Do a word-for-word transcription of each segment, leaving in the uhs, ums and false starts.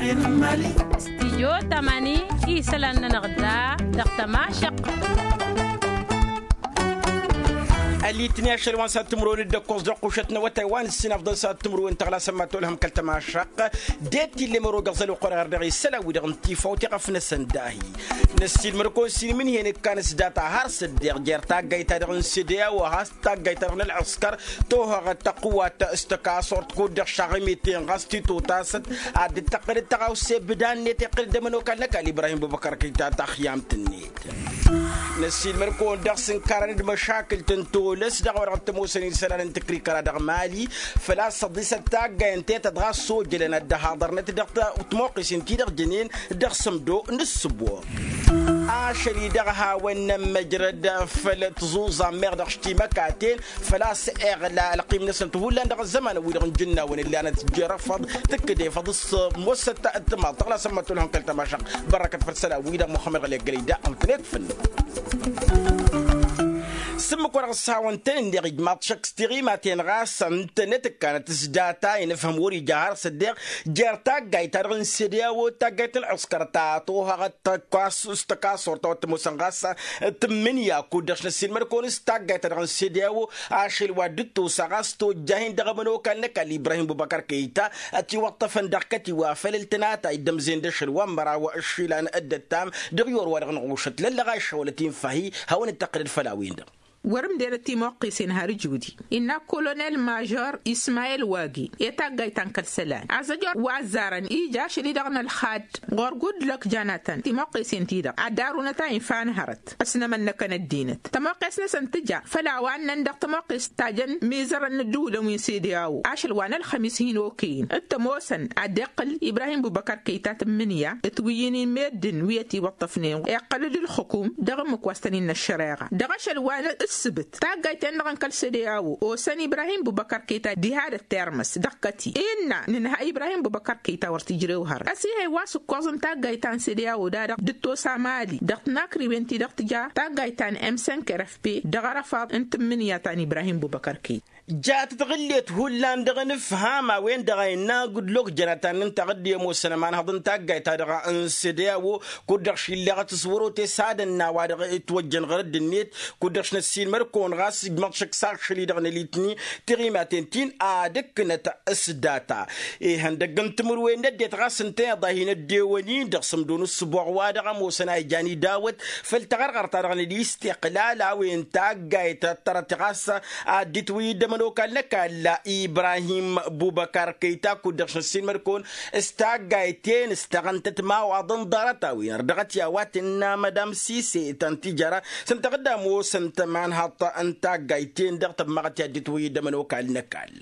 Stijyo tamani isălan-nănăɣ da dăɣ-tămašăqq. Ălitni ašăl wa n-sat timǝrwen d-ăkkoẓ dăɣ-kušăt n-awătay wa n-ǝssin afḍăn sat timǝrwen tăɣlasăn ma tolhăm kăl-tămašăqq. D-e t-illa măro găɣ-zăl oqorăɣ dăɣ-isălan-wi-dăɣ n-tifawt iɣăf-năsăn dahi. Năssiilmăd-kăwăn s-inǝmǝnhǝy n-ikkan s-data har s-ăddeɣ jer-taggayt-ta-dăɣ n-sede a-wa has-taggayt-ta-dăɣ n-ălɣǝskăr tohăɣăt tăqwat s-tăkasort kud-dăɣ šaɣ imiten ɣas titotasăt. Ad-dd-tăqqălăd tăɣawse bǝdan-net iqqălăd d-ămănokal n-ăkall ibrahim bubăkăr kăyta taxyamt-net. Năssiilmăd-kăwăn dăɣ-s ǝnkarăn d-măšakǝlt n-tolăs dăɣ-a-wa dăɣ-t-ămoosăn isălan n-tǝkrikăra dăɣ-mali. Făl-a-s ăḍisăt taggay ǝnta i-tăt ɣas s-ojălăn ad-dd-ăhaḍărnăt dăɣ-timoqqisen-ti-dăɣ jănen dăɣ-sǝmdo n-ǝssǝbo. Ašăl-i-dăɣ hawăn-nămmăjrăd făll-tăẓuẓa n-meɣ dăɣ-š timăkaten făl-a-s iɣla ălqim-năsăn tihullan dăɣ-ăzzămanăn-wi-dăɣ n-jǝnnawăn ǝllanăt jer-ăfăḍ tǝkkǝd efăḍ s-mossăt. Tǝmaḍ tăɣlasăn măttolhăn kăl-tămašăɣt. Bărrăkăt făll-isălan-wi-dăɣ muxămmăd ɣălek gălăy da ǝntănet făll-năk. S-ǝmmǝk-wa-dăɣ s-hawăn-tăn-in-deɣ ijmaḍ šăkk s-tiɣimaten ɣas ǝntănet ǝkkanăt s-data inǝfhǝm wăr-ija har s-ăddeɣ jer-taggayt-ta-dăɣ n-sede a-wo taggayt n-ălɣǝskăr ta tohăɣăt tăkasort a-wa t-ămoosăn ɣas tǝmmǝnǝya kud-dăɣ š-năssiilmăd-kăwăn s-taggayt-ta-dăɣ n-sede a-wo. Ašăl wa dd-tosa ɣas tojjah-in dăɣ-ămănokal n-ăkall ibrahim bubăkăr kăyta ătiwăṭṭăfăn dăɣ-kătiwa făll-ǝltănatay d-ămzen d-ašăl wa n-măraw ǝššilan dd-ăttam dăɣ-i orwa-dăɣ n-ɣušăt lăllăɣ a iššăwălăt-in făhi hawăn-dd-tăqqǝlăd făll-a-wen-dăɣ. Wăr-ǝmdenăt timoqqisen har ǝjudi innă kolonel mažor ismayel wagi i-taggayt ta n-kăl-isălan azăjor wa ăzzarăn ija ašăl-i-dăɣ n-ălxad ɣur-gudlăk janatăn timoqqisen-ti-dăɣ ad-dd-arunăt a infa n-hărăt ăsnămănnăkăn ăddinăt tămoqqes-năsăn tǝja făll-a-wa ǝnnăn dăɣ-tămoqqes ta jăn mizărăn n-ǝddǝwǝlăn wi n-sede a-wo ašăl wa n-ălxămis hin-okăyăn d-tămoosăn ad-iqqǝl ibrahim bubăkăr kăyta tǝmmǝnǝya d-tiwǝyyǝn-in meddǝn wi ătiwăṭṭăfnen iqqăl-dd ǝlxǝkum dăɣ-ǝmmǝk wa s-tăn-innă ăššăreɣa dăɣ-ašăl wa n-ǝssǝbǝt taggayt-en-dăɣ n-kăl-sede a-wo osăn ibrahim bubăkăr kăyta diha d-ăttermăs dăɣ-kăti innă nǝnhăy ibrahim bubăkăr kăyta wăr t-ǝjrew hărăt ăsihăy wa s-ǝkkoẓ n-taggayt ta n-sede a-wo da-dăɣ dd-tosa mali dăɣ-tǝja taggayt ta n-emsenk rfp dăɣ-arăfaḍ n-tǝmmǝnǝya ta n-ibrahim bubăkăr kăyta. Jatăt ɣǝllet hullan dăɣ-nǝfham a-wen-dăɣ a innă gudlok jănăt a ǝnnăn taɣǝdde ămoosăn ămanhăḍ n-taggayt-ta-dăɣ n-sede a-wo kud-dăɣ šillăɣăt s-wăr-ote s-ad-ănn a-wa-dăɣ ǝtwăjjăn ɣărădd-net kud-dăɣ š-năssiilmăr-kăwăn ɣas ijmăḍ šăkk s-ašăl-i-dăɣ n-alitni tiɣimaten-tin ad-ǝkkǝnăt s-data ihăndăgg n-timǝrwen n-ăddinăt ɣas ǝnta iḍa hin-ăddewăn-in dăɣ-sǝmdo n-ǝssǝboɣ wa-dăɣ ămoosăn a ijan idawăt făll-taɣărɣărt-ta-dăɣ n-ălistiqlal a-wen taggayt ăttărăt ɣas ad-dd-itwǝyyǝd ămănokal n-ăkall ibrahim bubăkar kăyta kud-dăɣ š-năssiilmăd-kăwăn s-taggayt-en s-tăɣăntăt imawaḍăn ḍarăt-a-wen ărdăɣăt i-a-wa tǝnna mădam sise ta n-tijăra s-ǝnta ɣǝdda ămoosăn tămanhăḍt n-taggayt-en-dăɣ tămmăɣăt i-ad-dd-itwǝyyǝd ămănokal n-ăkall.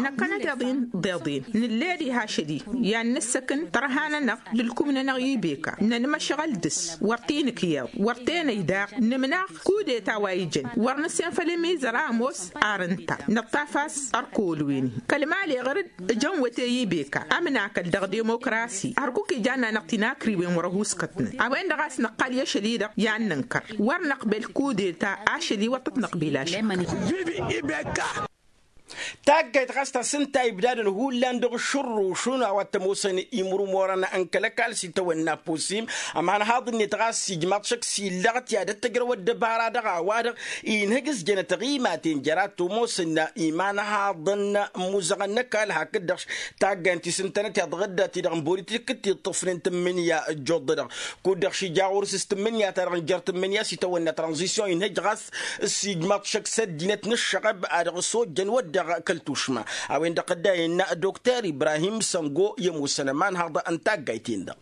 Năkkănăt iḍin d-iḍin nǝlled iha ašăl-i i-ad-nǝssăkǝn tărha-nănăɣ d-ǝlkum-nănăɣ ibeka nănmăšɣăl dăɣ-s wăr t-inǝkyaḍ wăr t-enăy daɣ nǝmnaɣ kudeta wa ijăn wăr nǝssen făll-imizăr a ămoos ar ǝnta nǝṭṭaf a-s ărkăwăl-wen-hi kăl-mali ɣăr-dd ǝjăn wăte ibeka ămnakăl dăɣ-dimokrasi hărkuk ijanna-năɣ tinakriwen wăr-ăhuuskătnăt a-wen-dăɣ a-s năqqal i-ašăl-i-dăɣ i-ad-nǝnkăr wăr năqbel kudeta ašăl-i wăr tăt-năqbil ašăl. Taggayt ɣas ta s-ǝnta ibdadăn hullan dăɣ-ašǝrrušun a-wa t-ămoosăn imurmorăn n-kăl-ăkall s-itawănna pusim ămanhaḍ-net ɣas ijmaḍ šăkk s-illăɣăt i-ad-ăttăjrăw ăddăbara dăɣ-a-wa-dăɣ inhǝj s-jănăt ăɣimaten jăr-a t-ămoosăn imanhaḍăn n-imuzăɣăn n-ăkall hakd-dăɣ taggant ti s-ǝntănăt iḍɣǝdda-ti-dăɣ n-bolitik d-tiṭṭǝfnen tǝmmǝnǝya ăjjoḍ-dăɣ kud-dăɣ šija ɣur-s s-tǝmmǝnǝya-ta-dăɣ n-jer-tǝmmǝnǝya s-itawănna tranzisyon inhǝj ɣas s-ijmaḍ šăkk s-ăddinăt n-ǝššăɣăb a dăɣ-s ojjăn wădden kăl-tušma a-wen-dăɣ dd-a innă dokter ibrahim săngo i-ămoosăn ămanhăḍ n-taggayt-en-dăɣ.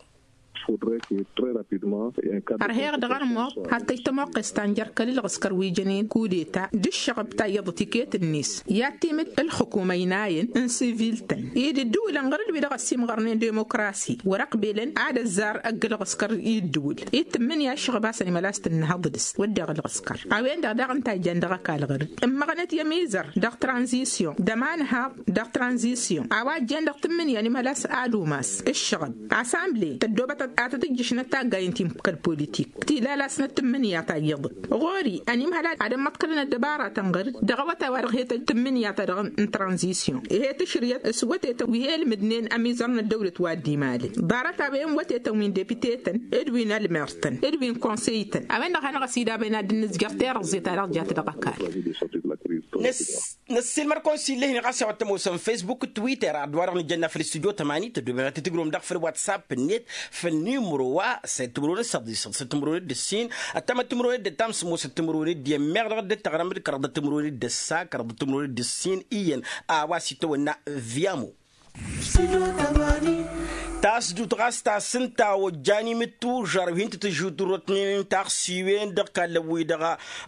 Ărheɣ dăɣ-armuḍ had-tăjj tămoqqes ta n-jer-kăl-ǝlɣǝskăr wi jănen kudeta d-ǝššăɣăb ta iyyăḍăt iket-net i-ad-timǝd ǝlxǝkum ăynayăn n-sivil-tăn-i d-ǝddǝwǝlăn ɣăr-dd wi-dăɣ ăsimɣărnen demokrasi wăr-ăqbelăn ad-ăzzar ăgg-ǝlɣǝskăr i-ǝddǝwǝl i d-tǝmmǝnǝya ǝššăɣăb a-s ănimălas tǝnnăhăḍ dăɣ-s wădden ǝlɣǝskăr a-wen-dăɣ daɣ ǝnta a ijan dăɣ-ăkall ɣăr-dd ǝmmăɣnăt i-ămizăr dăɣ-tranzisyon d-ămanhaḍ dăɣ-tranzisyon a-wa ăjjeen dăɣ-tǝmmǝnǝya ănimălas ad-umas ǝššăɣăb asamble tăddoobătăt a tăt-ǝjjǝšnăt taggayen ti n-kăl-politik ti lalasnăt tǝmmǝnǝya ta iyyăḍ. Ɣur-i ănimhăl ad-ămmăḍkălăn ăddăbaratăn ɣăr-dd dăɣ-awătay wa-dăɣ he-tăj tǝmmǝnǝya-ta-dăɣ n-tranzisyon, he-tǝšrǝyăt s-wătetăn wi he-ǝlmǝdnen ămizăr n-ăddăwlăt wa dd-imalăn. Ḍarăt-a-wen wătetăn wi n-depite-tăn d-wi n-ălmer-tăn d-wi n-konsey-tăn a-wen-dăɣ hanăɣ-ăsidabăyăn ad-dd-nǝzjăr tirǝẓẓe-ta-dăɣ jat dăɣ-ăkall. Năssiilmăr-kăwăn s-illa-hin-i ɣas i-a-wa t-ămoosăn facebook twitter ad-wa-dăɣ nǝjănna făll-studyo tămani tăddoobem ad-t-tǝjrǝwăm daɣ făll-whatsapp-net făll-nimro wa săy tǝmrăwen d-săḍisăḍ săy tǝmrăwen d-ǝssin ăttămăt tǝmrăwen d-ăttam s-ămoosăt tǝmrăwen d-iyyăn meɣ dăɣ-dd-tăɣrăm d-kăraḍăt tǝmrăwen d-ǝssa kăraḍăt tǝmrăwen d-ǝssin iyyăn a-wa s-itawănna. Vyamo. Tasdut ɣas ta s-ǝnta a ojjan imǝttužar wi hin-tǝtǝžutǝrrotnen n-taɣsiwen dăɣ-kallăn-wi-dăɣ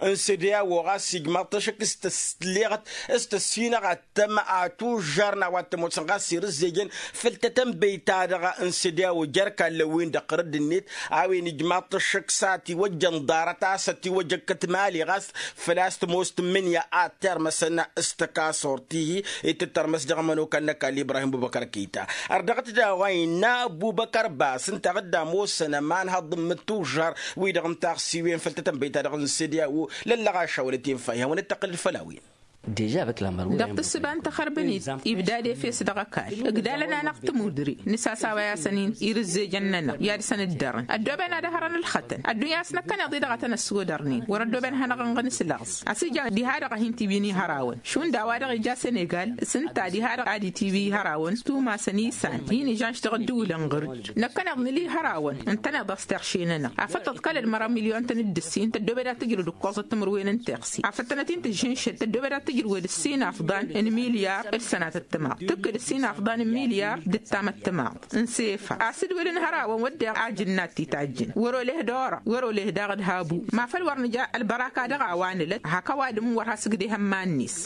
n-sădeawo ɣas ijmaḍ-t ašăk s-tăsleɣăt s-tăssinăɣ ad-tăm atužžarna wa t-ămoosăn ɣas irǝzzejăn făll-tătănbey-ta-dăɣ n-sădeawo jer-kallăn-win-dăɣ ɣur-dd-net a-wen ijmaḍ-t ašăk s-a tiwăjjăn ḍarăt a-s ătiwăjăkkăt mali ɣas făl-a-s tămoos tǝmmǝnǝya ad-termăsăn s-tăkasort-i-hi d-tǝttărmăs dăɣ-ămănokal n-ăkall ibrahim bubăkăr kăyta. Ărdăɣăt daɣ wa innă bubăkăr bas ǝnta ad-dd-amosăn ămanhăḍ n-imǝttužžar wi-dăɣ n-taɣsiwen făll-tătănbey-ta-dăɣ n-sădeawo lăllăɣaša wăla t-infa ihawăn-dd-tăqqǝlăd făll-a-wen. Dăɣ-tǝssǝba n-tăxărbănit ibdad efes dăɣ-ăkall ǝgdalăn-anăɣ tămudre nǝsasawăy-asăn irǝzzejăn-nănăɣ i-ad-săn-ǝddărăn ăddooben ad-ăhrăn ǝlxătăn ăddunya a-s năkkăneḍ-i-dăɣ a tăn-ăssodărnen wăr-ăddooben ad-hanăɣ-ănɣǝn s-lăɣẓ. A-s ija diha-dăɣ a hin-tiwin ihărawăn šund a-wa-dăɣ ija senegal s-ǝnta diha-dăɣ ad-itiwi ihărawăn tumasăn isan hin-ižanš dăɣ-ăddǝwǝlăn ɣǝr-dd năkkăneḍ nǝla ihărawăn ǝntăneḍ a-s terše-nănăɣ afăl tăḍkălăd măraw milyon-tăn d-ǝssin tăddoobed ad-tǝjrǝw d-ǝkkoẓăt timǝrwen n-teɣ afăl tănăt-in-tǝžžǝnšăd tăddoobed ad-tǝjrǝwăd ǝssin afḍan n-milyar d-sănatăt timaḍ tǝkkǝd ǝssin afḍan n-milyar d-ǝttamăt timaḍ n-sefa a-s dd-wăl ǝnhăr a-wen wădden ajǝnnat ti tajjǝn wăr-oleh d-orăɣ wăr-oleh daɣ d-habu ma făl wăr nǝja ălbăraka dăɣ-a-wa nǝlăt hak ăwadǝm wăr has-ǝgdeh ămman-net.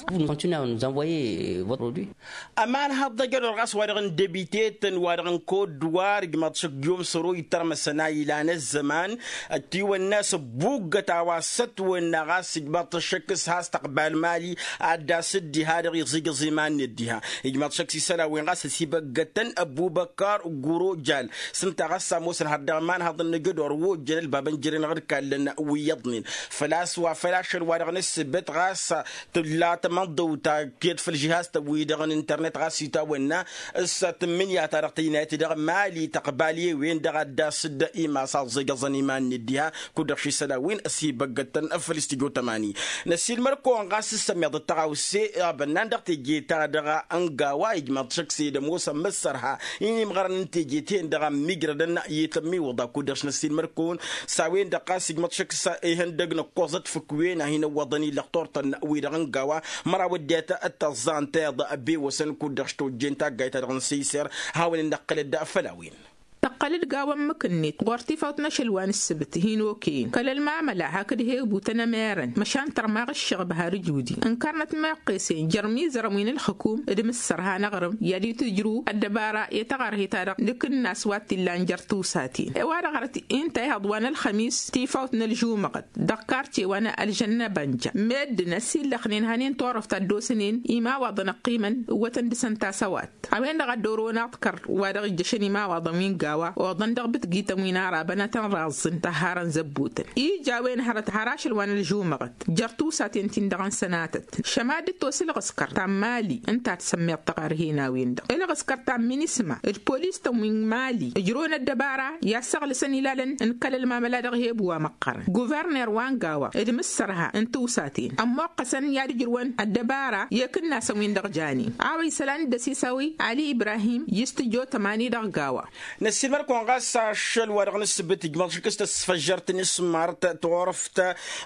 Ămanhăḍ d-ajădor ɣas wa-dăɣ n-debite-tăn wa-dăɣ n-kot d-war ijmaḍ šăkk jom săro ittărmăsăn a ilan ăzzăman ătiwănna s-ăbbuggăt a-wa s-ătwănna ɣas ijmaḍ-t ăššăk s-has-tăqbal mali ad-dd-asǝd diha-dăɣ iẓǝjǝẓ iman-net diha. Ijmaḍ šăkk s-isălan-wen ɣas ăsibăggătăn ăbubăkar gurojal s-ǝnta ɣas a ămoosăn har dăɣ-imanhăḍăn n-ajădor wa ojjăn ălbabăn jere-năɣ d-kallăn wi iyyăḍnen făl-a-s wa făl ašăl wa-dăɣ n-ǝssǝbăt ɣas tǝlla tamăḍdăwt ta ked făll-žihaz-tăn-wi-dăɣ n-internet ɣas itawănna s-tǝmmǝnǝya-ta-dăɣ tăynayăt dăɣ-mali tăqbal i-wen-dăɣ ad-dd-asǝd imas aẓẓejăẓăn iman-net diha. Kud-dăɣ šisălan-win ăsibăggătăn făll-istijo tămani. Năsiilmăr-kăwăn ɣas s-ămmiḍăt tăɣawse abănnan dăɣ-teje-ta-dăɣ n-gawa ijmaḍ šăkk s-ed ămoosăn mǝssărha inimɣărăn n-teje-ten-dăɣ ămmiijrădăn i-tămmiwǝḍa kud-dăɣ š-năsiilmăr-kăwăn s-a-wen-dăɣ ɣas ijmăḍ šăkk s-ihăndăg n-ǝkkoẓăt făkk-wen a hin-ăwwăḍăn i-lăxtur-tăn wi-dăɣ n-gawa măraw ăddinăt d-tăẓẓa ǝnta iyyăḍ bewăsăn kud-dăɣ š-tojjen taggayt-ta-dăɣ n-săyser. Hawăn-in-năqqǝlăd făll-a-wen. Tăqqăl-dd gawa ǝmmǝk-net ɣur-tifawt n-ašăl wa n-ǝssǝbǝt hin-okăyăn kăl-ălmamăla hakd he-ebutăn ămerăn măšan tărmaɣ ǝššăɣb har ǝjudi ǝnkărnăt meqqesen jer-imizărăn wi n-ǝlxǝkum d-imǝssărha n-aɣrǝm i-ad-itǝjrǝw ăddăbara i-taɣărhe-ta-dăɣ d-akǝnnas wa t-illan jer-tusaten. I-wa-dăɣ hărăt inta ihăḍ wa n-ălxămis tifawt n-ălžumăɣăt dăɣ-karce wa n-ălžănnăbănja meddǝn ăsillăxnen hanen turăft a dd-osnen imawaḍăn ăqqimăn ǝwwătăn dăɣ-săn tasăwat. A-wen-dăɣ a dd-orăwăn aḍkăr wa dăɣ-ijjăšăn imawaḍăn wi n-gawa oḍăn dăɣ-bǝtgităn wi n-arabăn ad-tăn-raẓẓǝn tăharăn zăbbutăn ija a-wen hărăt har ašăl wa n-ălžumăɣăt jer-tusaten-tin-dăɣ n-sănatăt šăma dd-tos ǝlɣǝskăr ta n-mali ǝnta a t-sămmeḍ tăɣarhen a-wen-dăɣ ǝlɣǝskăr ta n-minisma d-polis-tăn wi n-mali ǝjrăwăn ăddăbara i-ad-săɣlǝsăn ilalăn n-kăl-ălmamăla dăɣ-he-eb wa măqqărăn guverner wa n-gawa d-imǝssărha n-tiwsaten ămmoqqăsăn i-ad-ǝjrǝwăn ăddăbara i-akǝnnasăn-win-dăɣ janen a-wa isălan d-ăsisawi ali ibrahim i-s tǝjjo tămani dăɣ-gawa. Năssiilmăr-kăwăn ɣas ašăl wa dăɣ-nǝssǝbǝt ijmăḍ šik s-tăsfăžžărt n-ismart turăft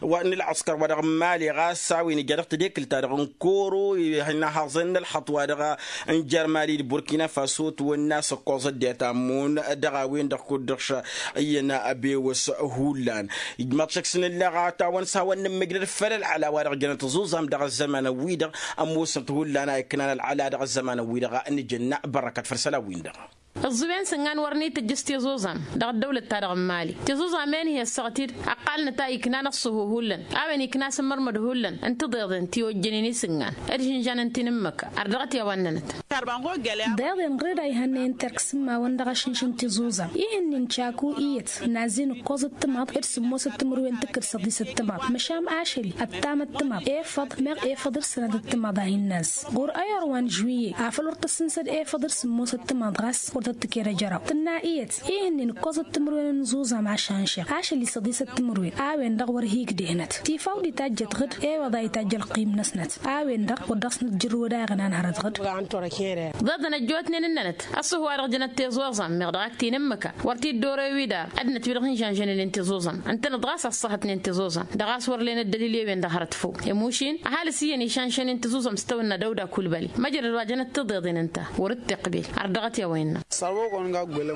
wa n-ǝlɣǝskăr wa dăɣ-mali ɣas a-wen ija dăɣ-tedekǝlt-ta-dăɣ n-koro ihănnahaẓen n-ălxăṭṭ wa dăɣ-nǝjăr mali d-burkina faso tǝwănna s-ăkkoẓ ăddinăt ammon dăɣ-a-wen-dăɣ kud-dăɣ š-iyyăn abewăs. Hullan ijmăḍ šăkk s-nǝlleɣ a tawăn s-hawăn-nǝmmǝjrăd făll-ălɣăla wa dăɣ-jănăt ăẓuẓam dăɣ-ăzzăman-ăwwi-dăɣ ămoosnăt hullan a iknan ălɣăla dăɣ-ăzzăman-ăwwi-dăɣ. Nǝjănna bărrăkăt făll-isălan-win-dăɣ. Ǝẓẓǝwen s-ǝnnan wăr n-itǝjjǝs tiẓuẓam dăɣ-ăddăwlăt-ta-dăɣ n-imali. Tiẓuẓam-en-hi ăssaɣăt-dd ăqqalnăt a iknan ăṣṣuhu hullan a-wen ikna asǝmmărmăd hullan n-tiḍeḍen ti ojjănen isǝnnan d-išǝnžanăn ti n-ǝmmǝk. Ar dăɣ-t i-a-wa ǝnnănăt. Deḍen ɣǝr-dd a ihănnăyăn terk s-ǝmmawăn dăɣ-ašǝnš n-tiẓuẓam. Ih'-ǝnnin caku iyyăt n-azzin ǝkkoẓ d-timaḍ d-sǝmmosăt timǝrwen tǝkkǝd săḍisăt timaḍ măšan ašăl i-ăttamăt timaḍ efăḍ meɣ efăḍ d-sănatăt timaḍ a hin-nazz. Ɣur-ăyăr wa n-žuwiyye afăl wăr tăssǝnsăd efăḍ d-sǝmmosăt timaḍ ɣas wăr tăt-tǝked ejăraw tǝnna iyyăt. Ih'-ǝnnin ǝkkoẓăt timǝrwen n-iẓuẓam ašănšeɣ ašăl i-săḍisăt timǝrwen a-wen-dăɣ wăr hi-igdeh-năt tifawt d-itajjăt ɣǝd. Ewăḍ a itajj ălqim-năsnăt a-wen-dăɣ wăr dăɣ-s nǝjjǝrrǝwăd a iɣnan hărăt ɣǝd. Ḍeḍăn ăjjootnen ǝnnănăt ăṣṣuhu wa dăɣ-jănăt tiẓuẓam meɣ dăɣ-ak ti n-ǝmmǝka wăr t-dd-orăy wi dar ăddinăt wi-dăɣ hin-žănžănălen tiẓuẓam ǝntănăt ɣas ăṣṣăhătnen tiẓuẓam dăɣ-a-s wăr len ăddălil i-wen-dăɣ hărăt făw. Emušin ăhalǝs iyyăn išănšănen tiẓuẓam s-tawănna dăwda kulbăli măjrăd wa jănăt tiḍeḍen ǝnta wăr-dd-tiqbil. Ar dăɣ-t i-a-wa innă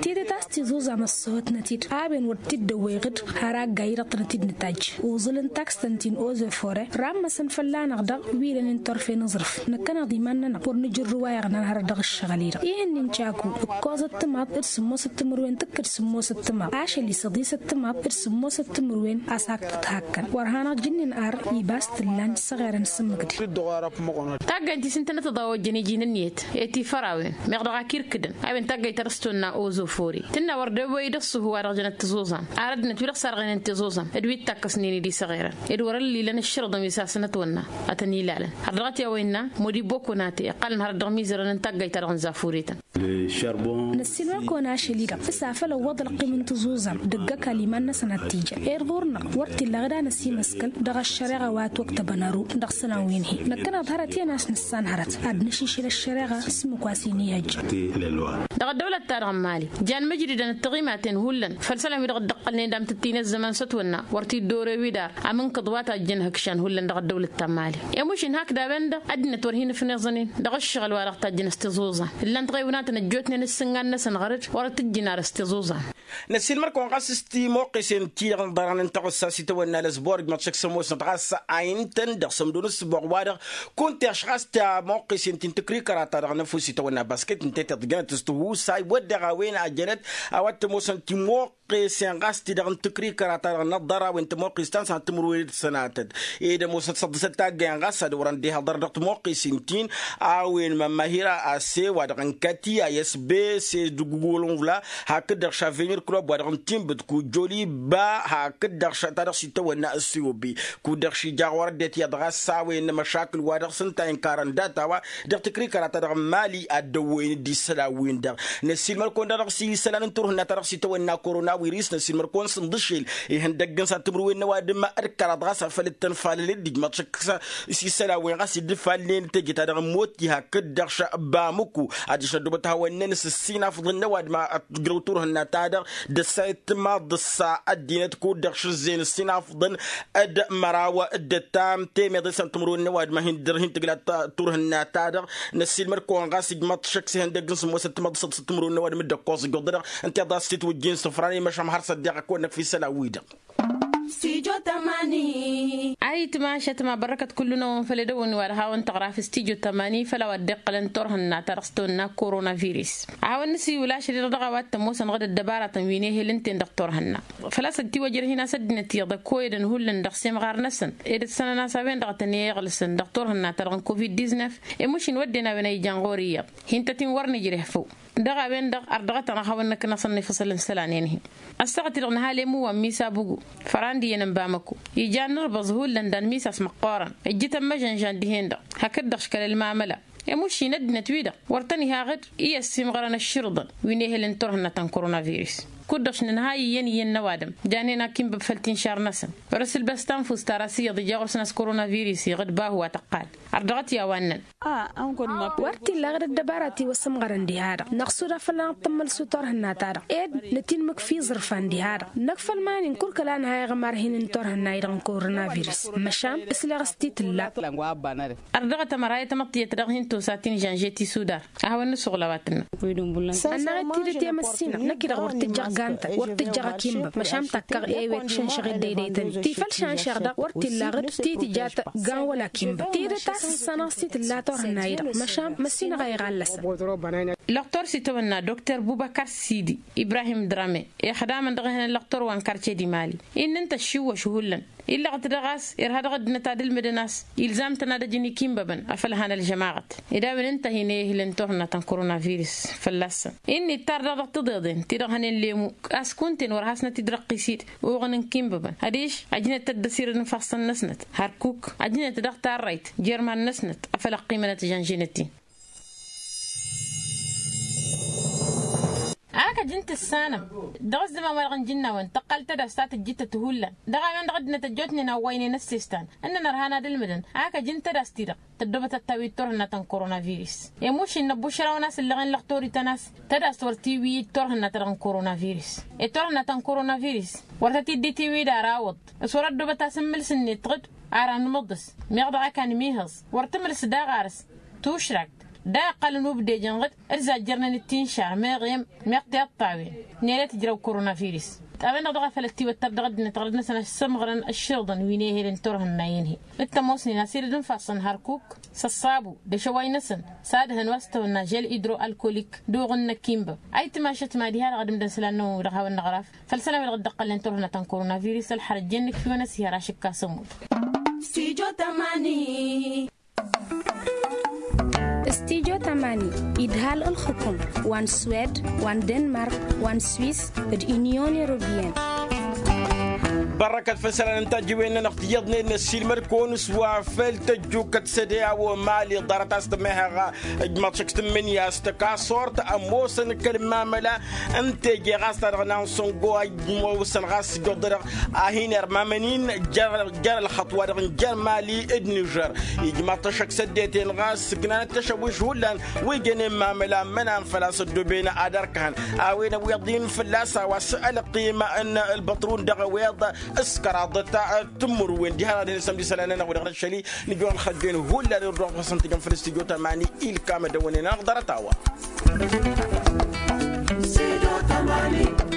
tidǝt a-s tiẓuẓam ăṣṣăhătnăt-dd a-wen wăr t-dd-ăwwăy ɣǝd. Har agga-i-dăɣ tănăt-dd-nǝtajj uẓǝl n-taksăn ti n-ozofore rammăsăn fălla-năɣ dăɣ-wi lănen turfen aẓrǝf. Năkkăneḍ iman-nănăɣ wăr nǝjǝrrǝw a iɣnan hărăt dăɣ-ǝššăɣǝl-i-dăɣ ih'-ǝnnin caku ǝkkoẓăt timaḍ d-sǝmmosăt timǝrwen tǝkkǝd sǝmmosăt timaḍ ašăl i-săḍisăt timaḍ d-sǝmmosăt timǝrwen a-s hak tǝthakkăn wăr hanăɣ-jǝnnin ar iba a-s t-ǝllan s-aɣerăn s-ǝmmǝk-di. Taggayt ti s-ǝntănăt tăḍa ojjăn iji n-ǝnniyăt i-tifărawen meɣ dăɣ-ak irkǝdăn a-wen taggayt ta dăɣ-s tonna ozofori tǝnna wăr dd-ăwwăy d-ăṣṣuhu wa dăɣ-jănăt tiẓuẓam ar ăddinăt wi-dăɣ sarɣenen tiẓuẓam d-wi t-takkăsnen-dd isăɣerăn d-wăr-ǝllilăn ǝššărǝḍăn wi s-asǝnăt wănna. Ad-tăn-ilalăn har dăɣ-t i-a-wa innă modi bokonate iqqalăn hărăt dăɣ-imizărăn n-taggayt-ta-dăɣ n-zafuretăn. Năssiilmăr-kăwăn ašăl-i-dăɣ s-afăl ăwwăḍ ălqim n-tiẓuẓam d-ǝggăkal iman-năsăn ad-t-ijăn ed ɣur-năɣ wăr t-illa ɣǝd a năsimăskăl dăɣ-ăššăreɣa wa ătwăktăbăn ăru dăɣ-isălan wi n-hi-năkkăneḍ hărăt iyyăn a-s nǝssan hărăt ad-nǝšǝšǝl ăššăreɣa s-ǝmmǝk wa s-in-ihăjja. Dăɣ-ăddăwlăt-ta-dăɣ n-mali jan mǝjdǝdăn d-tiɣimaten hullan făll-isălan wi-dăɣ dd-ăqqălnen d-amtǝttinăzzăman s-ătwănna wăr t-dd-orăy wi dar amǝnkǝḍ wa tajjăn ihǝkšan hullan dăɣ-ăddăwlăt ta n-mali. Emušin hakd a-wen-dăɣ ăddinăt wăr hin-ǝfneẓănen dăɣ-ǝššăɣǝl wa dăɣ-tajjăn s-tiẓuẓan ǝllan-t ɣewnatăn ăjjootnen ǝssǝngan-năsăn ɣăr-dd wăr t-ǝjjǝn ar s-tiẓuẓan. Năssiilmăr-kăwăn ɣas s-timoqqesen ti-dăɣ n-ḍarăn n-taɣǝssa s-itawănna lăzbor ǝjmăḍ šăkk s-ămoosnăt ɣas a intăn dăɣ-sămdo n-ǝssǝboɣ-wa-dăɣ kunta iɣš ɣas tamoqqesen ti n-tǝkrikăra-ta-dăɣ n-ăfuss itawănna basket ǝnta i-tiḍjănăt s-tihusay wădden a-wen a jănăt a-wa t-ămoosăn timoqqesen ɣas ti-dăɣ n-tǝkrikăra-ta-dăɣ n-ăḍḍăr a-wen tămoqqes ta n-sănat timǝrwen d-sănatăt ed ămoosnăt săḍisăt taggăyăn ɣas ad-wărăn d-ihăḍăr dăɣ-timoqqesen-tin a-wen mămmăhira a-s e-wa-dăɣ n-kati a s b s d-gugulunvla hakd-dăɣ šavenir klub wa-dăɣ n-timbǝt kujoliba hakd-dăɣ ta dăɣ-s itawănna ăssiyobi kud-dăɣ šija ɣur-ăddinăt iyyăḍ ɣas a-wen n-emăšakǝl wa dăɣ-s ǝnta a inkărăn data-wa dăɣ-tǝkrikăra-ta-dăɣ n-mali ad-dd-ăwwăyăn d-isălan-win-dăɣ. Năssiilmăr-kăwăn-dăɣ dăɣ-s isălan n-turhǝnna ta dăɣ-s itawănna korona wiris năssiilmăr-kăwăn s-ǝnḍǝšel ihăndăgg n-săr timǝrwen n-ăwadǝm d-kăraḍ ɣas a făl ǝttăn falăl-dd ijmăḍ šăkk s-isălan-wen ɣas dd-ǝfalnen teje-ta-dăɣ n-motti hakd-dăɣ šăbamǝku adiš n-ăddoobăt hawăn-năn s-ǝssinafḍăn n-ăwadǝm ad-tǝjrăw turhǝnna-ta-dăɣ d-ăssayăt timaḍ d-ăssa ăddinăt kud-dăɣ šǝzzeyăn ǝssinafḍăn d-măraw d-ăttam temeḍe s-ănn timǝrwen n-ăwadǝm a hin-dăr hin-tǝgla turhǝnna-ta-dăɣ. Năssiilmăr-kăwăn ɣas ǝjmăḍ šăkk s-ihăndăgg n-sǝmmosăt timaḍ d-săḍisăt timǝrwen n-ăwadǝm dd-ăkkoẓ ǝjjuḍ-dăɣ ǝnta i-ḍas t-itwǝjjin sǝfran i-măšan har s-ăddiɣ ăkk-wănnăk fi isălan-wi-dăɣ. Stujo tămani. Ayǝtma ašătma bărrăkăt kullu-năwăn făll-edăwwăn wa dăɣ-hawăn-tăɣra fi stujo tămani făll-a-wa dd-iqqălăn turhǝnna ta dăɣ-s tăwănna koronavirus. A hawăn-nǝsiwǝl ašăl-i-dăɣ dăɣ-a-wa t-ămoosăn ɣǝd ăddăbaratăn wi n-ehel ǝnta-en dăɣ-turhǝnna. Făl-a-s ăttiwăjrăh-in a-s ăddinăt iyyăḍ ăkkoyădăn hullan dăɣ-semɣar-năsăn ed ăssănăn a-s a-wen-dăɣ a tăn-iɣǝlsăn dăɣ-turhǝnna-ta-dăɣ n-covid-diznef. Emušin wădden a-wen a ijan ɣur-i iyyăḍ. Hin-tăt-in wăr nǝjreh făw. Dăɣ-a-wen-dăɣ ar dăɣ-tăn a hawăn-năknăsăn ifǝsǝl n-isălan-en-hi. Ăssaɣăt-i-dăɣ nǝhal i-muwwa n-misa bugu. Fărandi-en n-bamăko ijan n-ǝrbăẓ hullan dan misas măqqoorăn ǝjjǝtăn măžănžan dihen-dăɣ. Hakd-dăɣ škăl ălmamăla. Emušin ăddinăt-wi-dăɣ wăr tăn-iha ɣǝd i-ăssiimɣărăn ăšširǝḍăn wi n-ehălăn turhǝnna ta n-koronavirus. Kud-dăɣ šinǝnhăy iyyăn iyyăn n-ăwadǝm janen akimbăb făll-tinšar-năsăn. Wăr-ăsǝlbăs tanfust ar a-s iyyăḍ ija ɣur-săn a-s koronavirus iɣǝd bahu wa tăqqal. Ărdăɣăt i-a-wa ǝnnăn. Wăr t-illa ɣǝd ăddăbara ti wăr sǝmɣărăn diha-dăɣ năɣsud afăl ad-năṭṭămmăl s-turhǝnna-ta-dăɣ ed nătinmǝk f-iẓrǝfan diha-dăɣ. Năkk făll-iman-in kul kăla nǝha iɣmar hin-n-turhǝnna-i-dăɣ n-koronavirus. Măšan ǝsleɣ s-ti tǝlla. Ărdăɣăt ămăra i-tamăḍt tiyyăt dăɣ-hin-tosa tinžănže tisudar. A hawăn-nǝsuɣǝl a-wa tǝnnă. Ănnaɣ-dd tidǝt i-amăssinăɣ năkk-i-dăɣ wăr tǝjjăɣ gantăn wăr tǝjjăɣ akimbăb măšan takkăɣ ewet šănšăɣ ed dăydăytăn-i ti făll-šanšăɣ-dăɣ wăr t-illa ɣǝd ti tǝjat gan wăla akimbăb tidǝt a. Sănăɣ s-tǝlla turhǝnna-i-dăɣ măšan măssinăɣ a iɣallăsăn. Lăqtor s-itawănna dokter bubăkăr sidi ibrahim drame ixdamăn dăɣ-ehăn ăllăqtor wa n-karce dimali. Innă ǝnta ăššiwwăš hullan illăɣăt dăɣ-a-s irha dăɣ-ăddinăt ad-ǝlmǝdăn a-s ilzam-tăn ad-ăjǝn ikimbăbăn afăl han ălžămaɣăt. Ed a-wen ǝnta a hin-ehǝlăn turhǝnna ta n-korona virǝs fălla-săn. Innă ittar daɣ dăɣ-tiḍeḍen ti-dăɣ hănen lemu a-s kunta-en wăr hasnăt-dd răqqis-dd uɣǝn n-ikimbăbăn adiš ăjnăt-dd ăsirăd n-ifassăn-năsnăt hărkuk ăjnăt dăɣ-tarrayt jer-iman-năsnăt afăl ăqqimănăt žănžinăt-in. Ak ăjǝn tǝssanăm dăɣ-ăzzăman wa dăɣ-nǝjǝnna a-wen tăqqal tadast ta tǝjjǝttăt hullan dăɣ-a-wen-dăɣ ăddinăt ăjjootnen a ǝwwăynen ăssestan ǝnnăn ărhan ad-ǝlmǝdăn ak ăjǝn tadast-ti-dăɣ tăddobăt ad-tawǝy turhǝnna ta n-korona virǝs. Emuš innă ăbbušraw n-a-s ǝlleɣen lăqtor-ităn a-s tadast wăr tiwǝy turhǝnna-ta-dăɣ n-korona virǝs. Ed turhǝnna ta n-korona virǝs wăr tăt-dd-itiwǝy d-ara awǝḍ s-wăr-ăddobăt asǝmmǝl s-net ɣǝd ara nǝmǝḍǝs meɣ dăɣ-ak anmihăẓ wăr tǝmǝlǝs daɣ arǝs tušrakt. Da iqqălăn ubdejăn ɣǝd d-zajjărnen d-tinšar meɣ i-m meɣ tiṭṭawen. Nele tǝjrăw korona virǝs. A-wen-dăɣ dăɣ-a făl ăttiwăttăr dăɣ-ăddinăt ɣărăd-năsăn a-s sămɣărăn ăšširǝḍăn wi n-ehălen turhǝnna-en-hi. Ǝnta ămoosnen asirǝd n-ifassăn hărkuk s-ăṣṣabu d-ašăway-năsăn s-ad-hăn wa s-tawănna žel idro-alkolik d-uɣǝn n-ăkimbăb. Ayǝtmašăt mad-iha-dăɣ ad-ǝmdăn isălan-năwăn wi-dăɣ hawăn-năɣraf făll-isălan wi-dăɣ dd-ăqqălnen turhǝnna ta n-korona virǝs ălxărăt jennǝk fiwăn ăsihăr ašǝkka s-ămudd. Stujo tamani. Stujo tamani idhal ǝlxǝkum wa n-swed wa n-denmark wa n-swis d-unyon europeyăn. Bărrăkăt făll-isălan n-tajǝwen-nănăɣ tiyyăḍnen n-ăssiilmăd-kăwăn s-wa făll-tăjjukăt săde a-wa mali ḍarăt a-s tămehăɣ ǝjmaḍ šăkk s-tǝmmǝnǝya s-tăkasort ămoosăn kăl-mamăla n-teje ɣas ta dăɣ-nansăngo a ămoosăn ɣas s-joḍădăɣ a hin-irmamăn-in jer-ălxăṭṭ wa dăɣ-n jer-mali d-nižer. Ijmaḍ-t ăššăk s-ăddinăt-en ɣas ǝknanăt tăšăwwiš hullan wi jănen mamăla mănan făl-a-s ăddooben ad-ărkăhăn a-wen ăwweḍ-in fălla-s a-wa s-ălqim n-ălbăṭrun dăɣ-ăwweḍ s-kăraḍăt. Tǝmmǝrwen diha-dăɣ ad-hin-ăssămd isălan-nănăɣ wi-dăɣ n-ăššăl-i nǝjwăɣ ălxăjjen hullan irduɣ făsăn tijăn făll-studyo tamani ilkam ad-dăwănen anăɣ ḍarăt-a-wa. Studyo tamani.